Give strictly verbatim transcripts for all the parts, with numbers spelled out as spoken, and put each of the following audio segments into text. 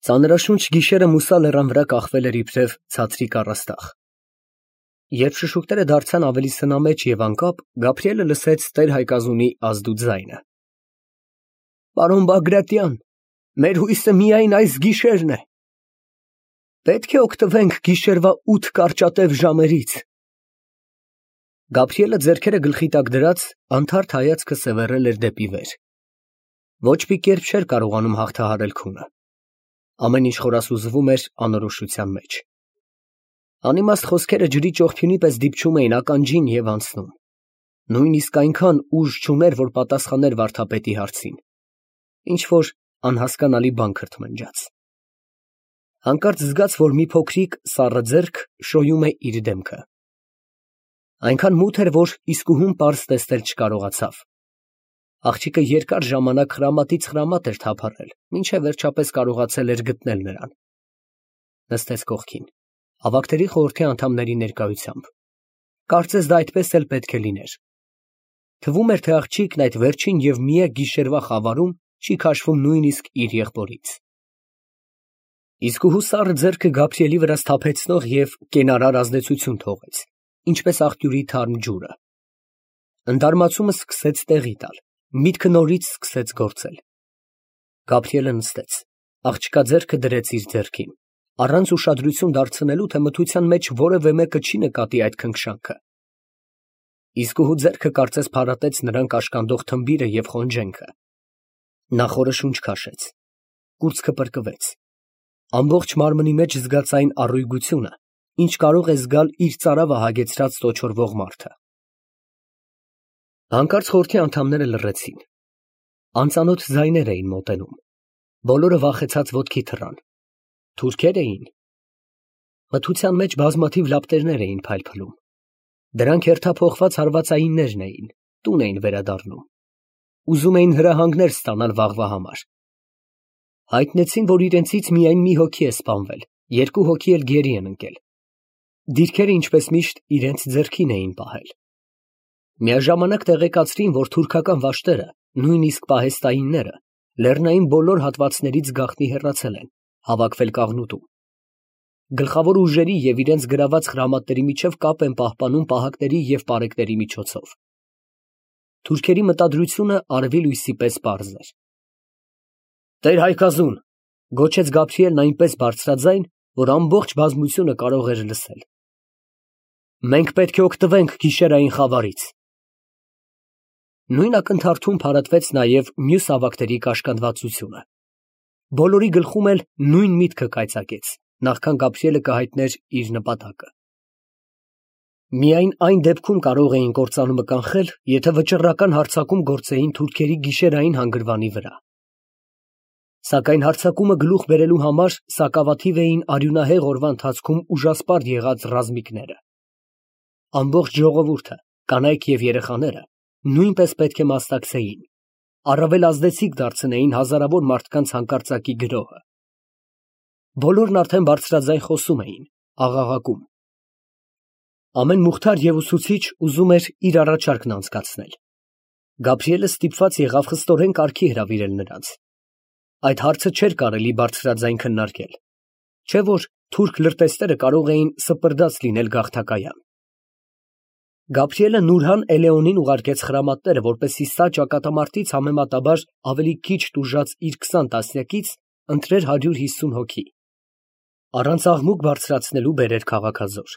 Ծանրաշունչ գիշերը մուսա լեռան վրա կախվել էր իբրև ցածրիկ առաստաղ։ Երբ շշուկները դարձան ավելի սնամեջ և անկապ, Գաբրիելը լսեց տեր Հայկազունի ազդու ձայնը. «Պարոն Բագրատյան, մեր հույսը միայն այս գիշերն է. պետք է օգտվենք գիշերվա ութ կարճատև ժամերից»։ Գաբրիելը ձեռքերը գլխի տակ դրած, անթարթ հայացքը սևեռել էր դեպի վեր։ Ոչ մի կերպ չէր կարողանում հաղթահարել քունը։ Ամեն ինչ խորասուզվում էր անորոշության մեջ։ Անիմաստ խոսքերը ջրի ճողփյունի պես դիպչում էին ականջին և անցնում։ Նույնիսկ այնքան ուժ չուներ, որ պատասխաներ վարդապետի հարցին։ Ինչ-որ անհասկանալի բան քրթմնջաց։ Հանկարծ զգաց, որ մի փոքրիկ սառը ձեռք շոյում է իր դեմքը։ Այնքան մութ էր, որ իսկուհուն պարզ տեսնել չկարողացավ։ Աղջիկը երկար ժամանակ խրամատից խրամատ էր թափառել, մինչև վերջապես կարողացել էր գտնել նրան։ Նստեց կողքին, հավաքտերի խորհրդի անդամների ներկայությամբ։ Կարծես դա այդպես էլ պետք է լիներ։ Թվում էր, թե աղջիկն այդ վերջին և միակ գիշերվա խավարում չի քաշվում նույնիսկ իր եղբորից։ Իսկուհու սառը ձեռքը Գաբրիելի վրա սթափեցնող և կենարար ազդեցություն թողեց, ինչպես աղբյուրի թարմ ջուրը։ Ընդարմացումը սկսեց տեղի տալ, միտքը նորից սկսեց գործել։ Գաբրիելը նստեց, աղջկա ձեռքը դրեց իր ձեռքին, առանց ուշադրություն դարձնելու, թե մթության մեջ որևէ մեկը չի նկատի այդ քնքշանքը։ Իսկուհու ձեռքը կարծես փարատեց նրան կաշկանդող թմբիրը և խոնջենքը։ Նա խորը շունչ քաշեց, կուրծքը պրկվեց։ Ամբողջ մարմնի մեջ զգաց այն առույգությունը, ինչ կարող է զգալ իր ծարավը հագեցրած տոչորվող մարդը։ Հանկարծ խորհրդի անդամները լռեցին։ Անծանոթ ձայներ էին մոտենում։ Բոլորը վախեցած ոտքի թռան։ Թուրքեր էին։ Մթության մեջ բազմաթիվ լապտերներ էին փայլփլում։ Դրանք հերթափոխված հարվածայիններն էին, տուն էին վերադառնում։ Ուզում էին հրահանգներ ստանալ վաղվա համար։ Հայտնեցին, որ իրենցից միայն մի հոգի է սպանվել, երկու հոգի էլ գերի են ընկել։ Դիրքերը, ինչպես միշտ, իրենց ձեռքին էին պահել։ Միաժամանակ տեղեկացրին, որ թուրքական վաշտերը, նույնիսկ պահեստայինները, լեռնային բոլոր հատվածներից գաղտնի հեռացել են, հավաքվել Կաղնուտում։ Գլխավոր ուժերի և իրենց գրաված խրամատների միջև կապ են պահպանում պահակների և պարեկների միջոցով։ Թուրքերի մտադրությունը արևի լույսի պես պարզ էր։ «Տեր Հայկազուն», գոչեց Գաբրիելն այնպես բարձրաձայն, որ ամբողջ բազմությունը կարող էր լսել, «մենք պետք է օգտվենք գիշերային խավարից»։ Նույն ակնթարթում փարատվեց նաև մյուս հավաքտերի կաշկանդվածությունը։ Բոլորի գլխում էլ նույն միտքը կայծակեց, նախքան Գաբրիելը կհայտներ իր նպատակը։ Միայն այն դեպքում կարող էին կործանումը կանխել, եթե վճռական հարձակում գործեին թուրքերի գիշերային հանգրվանի վրա։ Սակայն հարձակումը գլուխ բերելու համար սակավաթիվ էին արյունահեղ օրվա ընթացքում ուժասպառ եղած ռազմիկները։ Ամբողջ ժողովուրդը, կանայք և երեխաները նույնպես պետք է մասնակցեին, առավել ազդեցիկ դարձնեին հազարավոր մարդկանց հանկարծակի գրոհը։ Բոլորն արդեն բարձրաձայն խոսում էին, աղաղակում։ Ամեն մուխթար և ուսուցիչ ուզում էր իր առաջարկն անցկացնել։ Գաբրիելը ստիպված եղավ խստորեն կարգի հրավիրել նրանց։ Այդ հարցը չէր կարելի բարձրաձայն քննարկել, չէ՞ որ թուրք լրտեսները կարող էին սպրդած լինել գաղթակայան։ Գաբրիելը Նուրհան Էլեոնին ուղարկեց խրամատները, որպեսզի սա ճակատամարտից համեմատաբար ավելի քիչ տուժած իր քսան տասնյակից ընտրեր հարյուր հիսուն հոգի։ Առանց աղմուկ բարձրացնելու բերեր քաղաքազոր։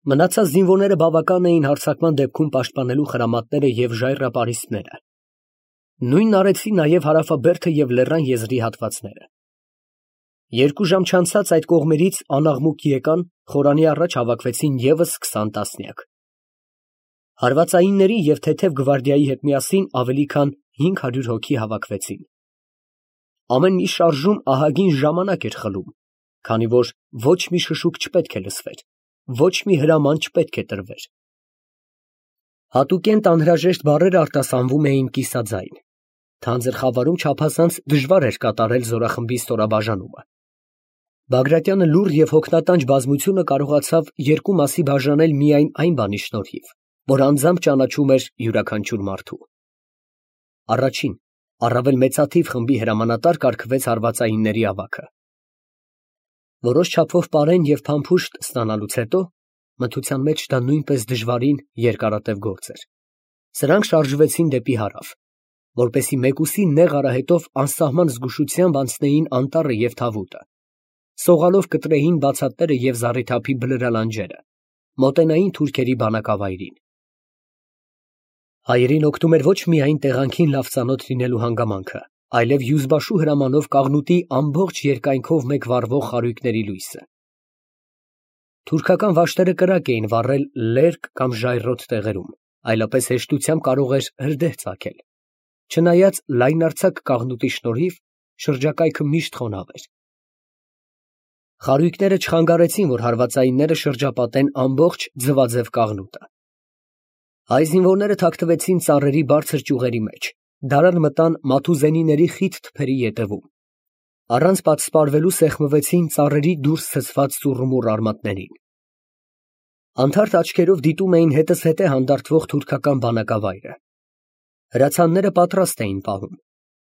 Մնացած զինվորները բավական էին հարձակման դեպքում պաշտպանելու խրամատները և ժայռապարիսպները։ Նույնն արեցին նաև հարավաբերդը և լեռան եզրի հատվածները։ Երկու ժամ չանցած այդ կողմերից անաղմուկ եկան, խորանի առաջ հավաքվեցին ևս քսան տասնյակ։ Հարվածայինների և թեթև գվարդիայի հետ միասին ավելի քան հինգ հարյուր հոգի հավաքվեցին։ Ամեն մի շարժում ահագին ժամանակ էր խլում, քանի որ ոչ մի շշուկ չպետք է լսվեր, ոչ մի հրաման չպետք է տրվեր։ Հատուկենտ անհրաժեշտ բառերը արտասանվում էին կիսաձայն։ Թանձր խավարում չափազանց դժվար էր կատարել զորախմբի ստորաբաժանումը։ Բագրատյանը լուռ և հոգնատանջ բազմությունը կարողացավ երկու մասի բաժանել միայն այն բանի շնորհիվ, որ անձամբ ճանաչում էր յուրաքանչյուր մարդու։ Առաջին, Առավել մեծաթիվ խմբի հրամանատար կարգվեց հարվածայինների ավագը։ Որոշ չափով պարեն և փամփուշտ ստանալուց հետո, մթության մեջ դա նույնպես դժվարին երկարատև գործ էր, սրանք շարժվեցին դեպի հարավ, որպեսզի մեկուսի նեղ արահետով անսահման զգուշությամբ անցնեին անտառը և Թավուտը, սողալով կտրեին բացատները և զառիթափի բլրալանջերը, մոտենային թուրքերի բանակավայրին։ Հայերին օգնում էր ոչ միայն տեղանքին լավ ծանոթ լինելու հանգամանքը, այլև Յուզբաշու հրամանով Կաղնուտի ամբողջ երկայնքով մեկ վառվող խարույկների լույսը։ Թուրքական վաշտերը կրակ էին վառել լերկ կամ ժայռոտ տեղերում, այլապես հեշտությամբ կարող էր հրդեհ ծագել, չնայած լայնարձակ կաղնուտի շնորհիվ շրջակայքը միշտ խոնավ էր։ Խարույկները չխանգարեցին, որ հարվածայինները շրջապատեն ամբողջ ձվաձև կաղնուտը։ Հայ զինվորները թաքնվեցին ծառերի բարձր ճյուղերի մեջ, դարան մտան մաթուզենիների խիտ թփերի ետևում, առանց պատսպարվելու սեղմվեցին ծառերի դուրս ցցված ծուռումուռ արմատներին։ Անթարթ աչքերով դիտում էին հետզհետե հանդարտվող թուրքական բանակավայրը։ Հրացանները պատրաստ էին պահում,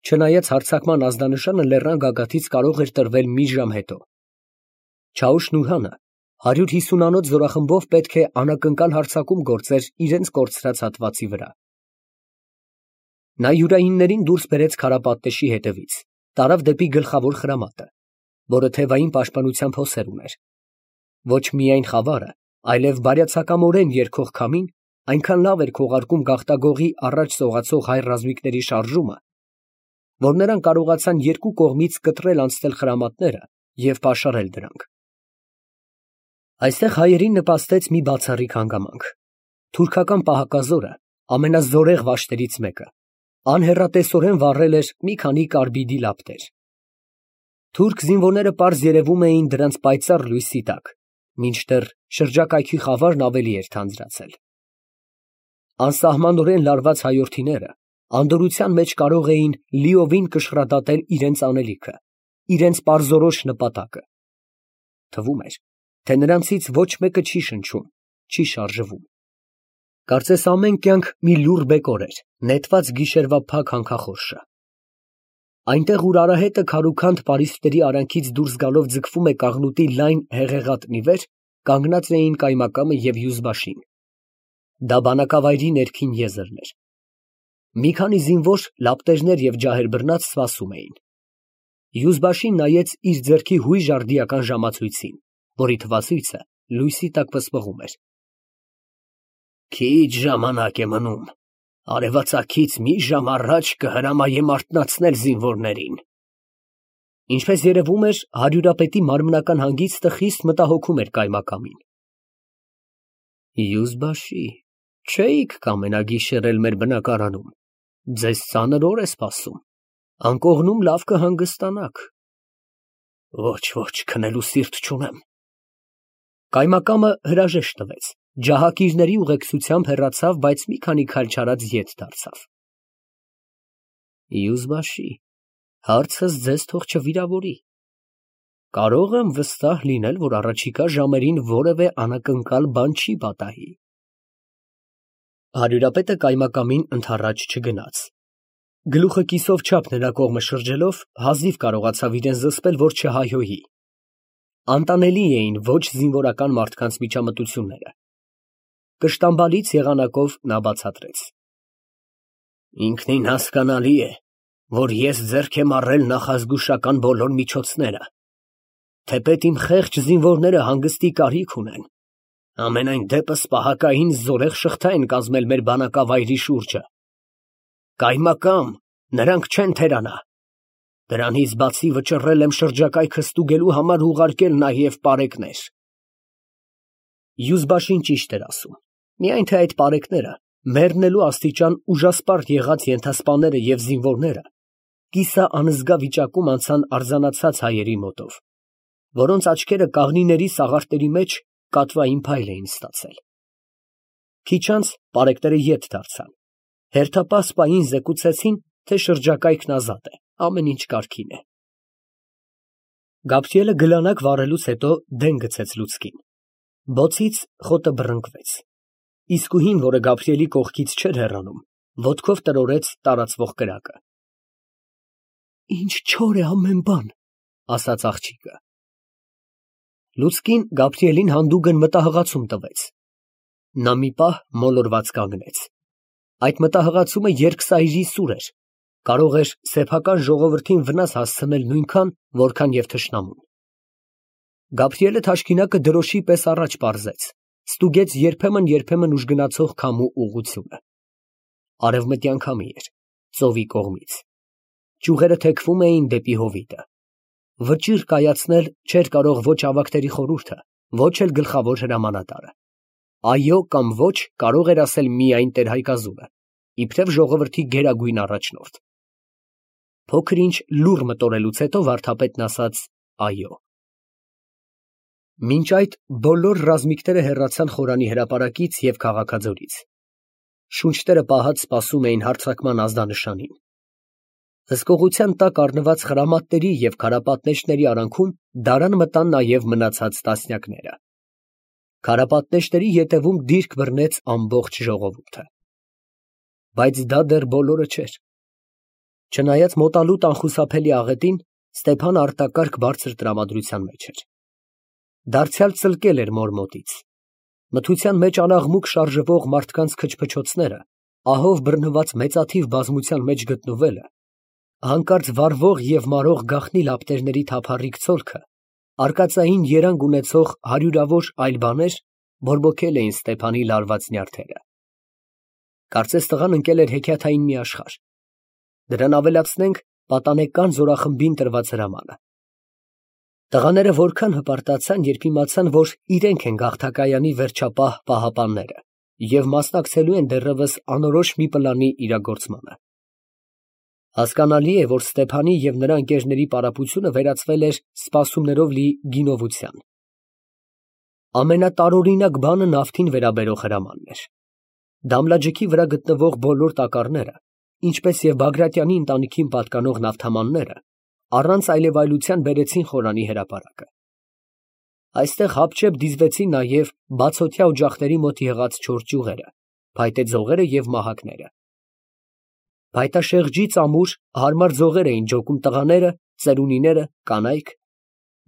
չնայած հարձակման ազդանշանը լեռան գագաթից կարող էր տրվել մի ժամ հետո։ Չաուշ֊Նուրհանը հարյուր հիսունանոց զորախմբով պետք է անակնկալ հարձակում գործեր իրենց կորցրած հատվածի վրա։ Նա յուրայիններին դուրս բերեց քարապատտեշի հետևից, տարավ դեպի գլխավոր խրամատը, որը թևային պաշտպանությամբ հոսեր ուներ։ Ոչ միայն խավարը, այլև բարյացակամորեն երգող քամին այնքան լավ էր քողարկում գաղտագողի առաջ սողացող հայ ռազմիկների շարժումը, որ նրանք կարողացան երկու կողմից կտրել անցնել խրամատները և պաշարել դրանք։ Այստեղ հայերին նպաստեց մի բացառիկ հանգամանք։ Թուրքական պահակազորը, ամենազորեղ վաշտերից մեկը, անհեռատեսորեն վառել էր մի քանի կարբիդի լապտեր։ Թուրք զինվորները պարզ երևում էին դրանց պայծառ լույսի տակ, մինչդեռ շրջակայքի խավարն ավելի էր թանձրացել։ Անսահմանորեն լարված հայորդիները անդորրության մեջ կարող էին լիովին կշռադատել իրենց անելիքը, իրենց պարզորոշ նպատակը։ Թվում էր, թե նրանցից ոչ մեկը չի շնչում, չի շարժվում։ Կարծես ամեն կյանք մի լուռ բեկոր էր, նետված գիշերվա փակ հանքախորշը։ Այնտեղ, ուր արահետը քարուքանդ պարիսպների արանքից դուրս գալով ձգվում է կաղնուտի լայն հեղեղատնի վեր, կանգնած էին Կայմակամը և Յուզբաշին։ Դա բանակավայրի ներքին եզրն էր։ Մի քանի զինվոր լապտերներ և ջահեր բռնած սպասում էին։ Յուզբաշին նայեց իր ձեռքի հույժ արդիական ժամացույցին, որի թվացույցը լույսի տակ ոսպղում էր։ Քիչ ժամանակ է մնում, արևածագից մի ժամ առաջ կհրամայեմ արթնացնել զինվորներին։ Ինչպես երևում էր, հարյուրապետի մարմնական հանգիստը խիստ մտահոգում էր Կայմակամին։ Յուզբաշի, չէիք կամենա գիշերել մեր բնակարանում, ձեզ ծանր օր է սպասում, անկողնում լավ կհանգստանաք։ Ոչ, ոչ, քնելու սիրտ չունեմ։ Կայմակամը հրաժեշտ տվեց, ջահակիրների ուղեկցությամբ հեռացավ, բայց մի քանի քայլ չարած ետ դարձավ։ Յուզբաշի, հարցս ձեզ թող չվիրավորի։ Կարող եմ վստահ լինել, որ առաջիկա ժամերին որևէ անակնկալ բան չի պատահի։ Հարյուրապետը Կայմակամին ընդառաջ չգնաց։ Գլուխը կիսով չափ նրա կողմը շրջելով, հազիվ կարողացավ իրեն զսպել, որ չհայհոյի։ Անտանելի էին ոչ զինվորական մարդկանց միջամտությունները։ Կշտամբալից եղանակով նա բացատրեց. Ինքնին հասկանալի է, որ ես ձեռք եմ առել նախազգուշական բոլոր միջոցները, թեպետ իմ խեղճ զինվորները հանգստի կարիք ունեն, ամենայն դեպս պահակային զորեղ շղթա են կազմել մեր բանակավայրի շուրջը։ Կայմակամ, նրանք չեն թերանա։ Դրանից բացի վճռել եմ շրջակայքը ստուգելու համար ուղարկել նաև պարեկներ։ Յուզբաշին ճիշտ էր ասում, միայն թե այդ պարեկները, մեռնելու աստիճան ուժասպառ եղած ենթասպաները և զինվորները կիսաանզգա վիճակում անցան արձանացած հայերի մոտով, որոնց աչքերը կաղնիների սաղարտերի մեջ կատվային փայլ էին ստացել։ Քիչ անց պարեկները ետ դարձան, հերթապահ սպային զեկուցեցին, թե շրջակայքն ազատ է, ամեն ինչ կարգին է։ Գաբրիելը գլանակ վառելուց հետո դեն գցեց լուցկին։ Բոցից խոտը բռնկվեց։ Իսկուհին, որը Գաբրիելի կողքից չէր հեռանում, ոտքով տրորեց տարածվող կրակը։ Ինչ չոր է ամեն բան, ասաց աղջիկը։ Լուցկին Գաբրիելին հանդուգն մտահղացում տվեց։ Նա մի պահ մոլորված կանգնեց։ Այդ մտահղացումը երկսայրի սուր էր, կարող էր սեփական ժողովրդին վնաս հասցնել նույնքան, որքան և թշնամուն։ Գաբրիելը թաշկինակը դրոշի պես առաջ պարզեց, ստուգեց երբեմն֊երբեմն ուժգնացող քամու ուղղությունը։ Արևմտյան քամի էր, ծովի կողմից։ Ճյուղերը թեքվում էին դեպի հովիտը։ Վճիռ կայացնել չէր կարող ոչ ավագների խորհուրդը, ոչ էլ գլխավոր հրամանատարը։ Այո կամ ոչ կարող էր ասել միայն տեր-Հայկազուրը, իբրև ժողովրդի գերագույն առաջնորդ։ Փոքր-ինչ լուռ մտորելուց հետո վարդապետն ասաց այո։ Մինչ այդ բոլոր ռազմիկները հեռացան խորանի հրապարակից և քաղաքաձորից։ Շունչները պահած սպասում էին հարձակման ազդանշանին։ Հսկողության տակ առնված խրամատների և քարապատնեշների արանքում դարան մտան նաև մնացած տասնյակները։ Քարապատնեշների ետևում դիրք բռնեց ամբողջ ժողովուրդը։ Բայց դա դեռ բոլորը չէր։ Չնայած մոտալուտ անխուսափելի աղետին, Ստեփանը արտակարգ բարձր տրամադրության մեջ էր։ Դարձյալ ծլկել էր մոր մոտից։ Մթության մեջ անաղմուկ շարժվող մարդկանց քչփչոցները, ահով բռնված մեծաթիվ բազմության մեջ գտնվելը, հանկարծ վառվող և մարող գաղտնի լապտերների թափառիկ ցոլքը, արկածային երանգ ունեցող հարյուրավոր այլ բաներ բորբոքել էին Ստեփանի լարված նյարդերը։ Կարծես տղան ընկել էր հեքիաթային մի աշխարհ։ Դրան ավելացնենք պատանեկան զորախմբին տրված հրամանը։ Տղաները որքան հպարտացան, երբ իմացան, որ իրենք են գաղթակայանի վերջապահ պահապանները և մասնակցելու են դեռևս անորոշ մի պլանի իրագործմանը։ Հասկանալի է, որ Ստեփանի և նրա ընկերների պարապությունը վերածվել էր սպասումներով լի գինովության։ Ամենատարօրինակ բանը նավթին վերաբերող հրամանն էր։ Դամլաջքի վրա գտնվող բոլոր տակառները, ինչպես և Բագրատյանի ընտանիքին պատկանող նավթամանները, առանց այլևայլության բերեցին խորանի հրապարակը։ Այստեղ հապճեպ դիզվեցին նաև բացօթյա օջախների մոտ եղած չոր ճյուղերը, փայտե ձողերը և մահակները։ Փայտաշեղջից ամուր հարմար ձողեր էին ջոկում տղաները, ծերունիները, կանայք,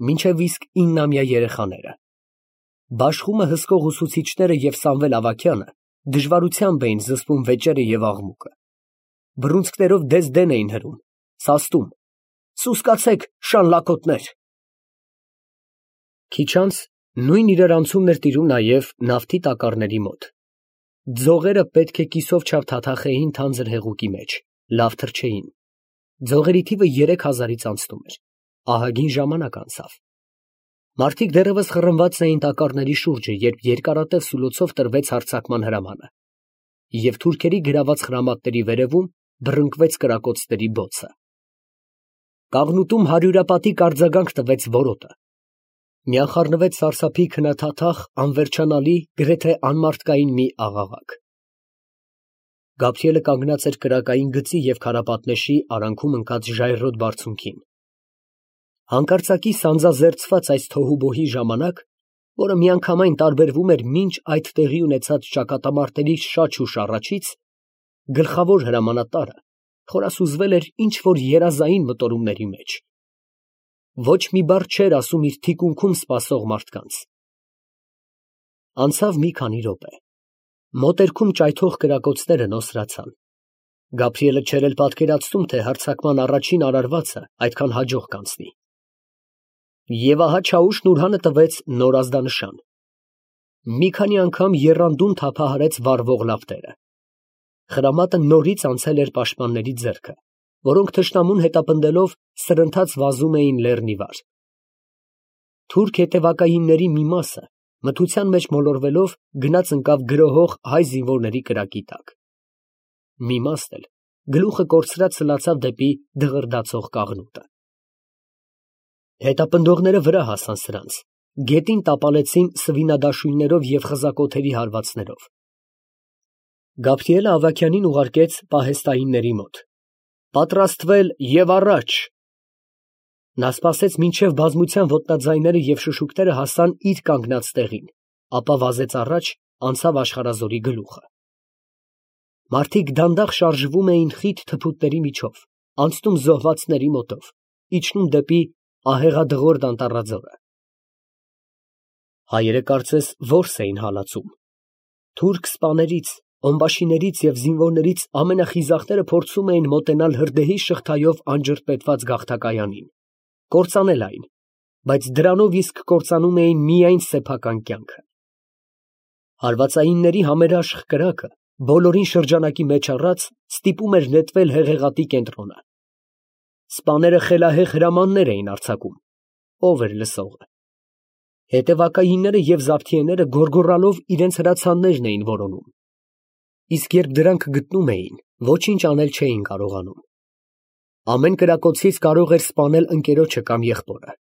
մինչև իսկ իննամյա երեխաները։ Բաշխումը հսկող ուսուցիչները և Սամվել Ավագյանը դժվարությամբ էին զսպում վեճերը և աղմուկը։ Բռունցքներով դես֊դեն էին հրում, սաստում. «Սուսկացեք, շան լակոտներ»։ Քիչ անց նույն իրարանցումն էր տիրում նաև նավթի տակառների մոտ։ Ձողերը պետք է կիսով չափ թաթախեին թանձր հեղուկի մեջ, լավ թրջեին։ Ձողերի թիվը երեք հազարից անցնում էր։ Ահագին ժամանակ անցավ։ Մարդիկ դեռևս խռնված էին տակառների շուրջը, երբ երկարատև սուլոցով տրվեց հարձակման հրամանը, և թուրքերի գրաված խրամատների վերևում բռնկվեց կրակոցների բոցը։ Կաղնուտում հարյուրապատիկ արձագանք տվեց որոտը։ Միանխառնվեց սարսափի քննաթաթախ, անվերջանալի, գրեթե անմարդկային մի աղաղակ։ Գաբրիելը կանգնած էր կրակային գծի և քարապատնեշի արանքում ընկած ժայռոտ բարձունքին։ Հանկարծակի սանձազերծված այս թոհուբոհի ժամանակ, որը միանգամայն տարբերվում էր մինչ այդ տեղի ունեցած ճակատամարտերի շաչ ու շառաչից, գլխավոր հրամանատարը խորասուզվել էր ինչ֊որ երազային մտորումների մեջ։ Ոչ մի բառ չէր ասում իր թիկունքում սպասող մարդկանց։ Անցավ մի քանի րոպե։ Մոտերքում ճայթող կրակոցները նոսրացան։ Գաբրիելը չէր էլ պատկերացնում, թե հարձակման առաջին արարվածը այդքան հաջող կանցնի։ Եվ ահա Չաուշն ուրհանը տվեց նոր ազդանշան։ Մի քանի անգամ եռանդուն թափահարեց վառվող լապտերը։ Խրամատը նորից անցել էր պաշտպանների ձեռքը, որոնք թշնամուն հետապնդելով սրընթաց վազում էին լեռն ի վար։ Թուրք հետևակայինների մի մասը, մթության մեջ մոլորվելով, գնաց ընկավ գրոհող հայ զինվորների կրակի տակ։ Մի մասն էլ գլուխը կորցրած սլացավ դեպի դղրդացող կաղնուտը։ Հետապնդողները վրա հասան սրանց, գետին տապալեցին սվինադաշույններով և խզակոթերի հարվածներով։ Գաբրիելը Ավագյանին ուղարկեց պահեստայինների մոտ։ «Պատրաստվել և առաջ»։ Նա սպասեց, մինչև բազմության ոտնաձայները և շշուկները հասան իր կանգնած տեղին, ապա վազեց առաջ, անցավ աշխարհազորի գլուխը։ Մարդիկ դանդաղ շարժվում էին խիտ թփուտների միջով, Անցնում զոհվածների մոտով, իջնում դեպի ահեղադղրդ անտառաձորը։ Հայերը կարծես որս էին հալածում։ Թուրք սպաներից, ամբաշիներից և զինվորներից ամենախիզախները փորձում էին մոտենալ հրդեհի շղթայով անջրպետված գաղթակայանին, կործանել այն, բայց դրանով իսկ կործանում էին միայն սեփական կյանքը։ Հարվածայինների համերաշխ կրակը, բոլորին շրջանակի մեջ առած, ստիպում էր նետվել հեղեղատի կենտրոնը։ Սպաները խելահեղ հրամաններ էին արձակում, ով էր լսողը։ Հետևակայինները և զավթիեները գոռգոռալով իրենց հրացաններն էին որոնում, իսկ երբ դրանք գտնում էին, ոչինչ անել չէին կարողանում։ Ամեն կրակոցից կարող էր սպանել ընկերոջը կամ եղբորը։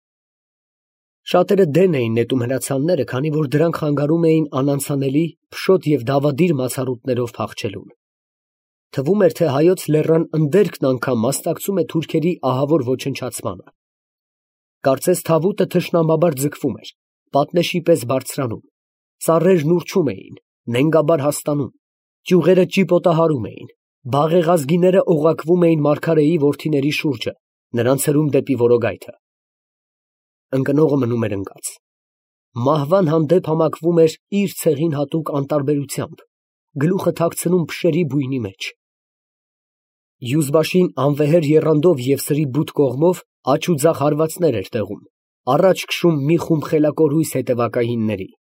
Շատերը դեն էին նետում հրացանները, քանի որ դրանք խանգարում էին անանցանելի, փշոտ և դավադիր մացառուտներով փախչելուն։ Թվում էր, թե հայոց լեռան ընդերքն անգամ մասնակցում է թուրքերի ահավոր ոչնչացմանը։ Կարծես թավուտը թշնամաբար ձգվում էր, պատնեշի պես բարձրանում, ծառերն ուռչում էին, նենգաբար հաստանում, ճյուղերը ճիպոտահարում էին, բաղեղազգիները օղակվում էին մարգարեի որդիների շուրջը, նրանց հրում դեպի որոգայթը։ Ընկնողը մնում էր ընկած։ Մահվան հանդեպ համակվում էր իր ցեղին հատուկ անտարբերությամբ, գլուխը թաքցնում փշերի բույնի մեջ։ Եզբաշին անվեհեր եռանդով և սրի բութ կողմով աջ ու ձախ հարվածներ էր տեղում, առաջ քշում մի խումբ խելակորույս հետևակայինների։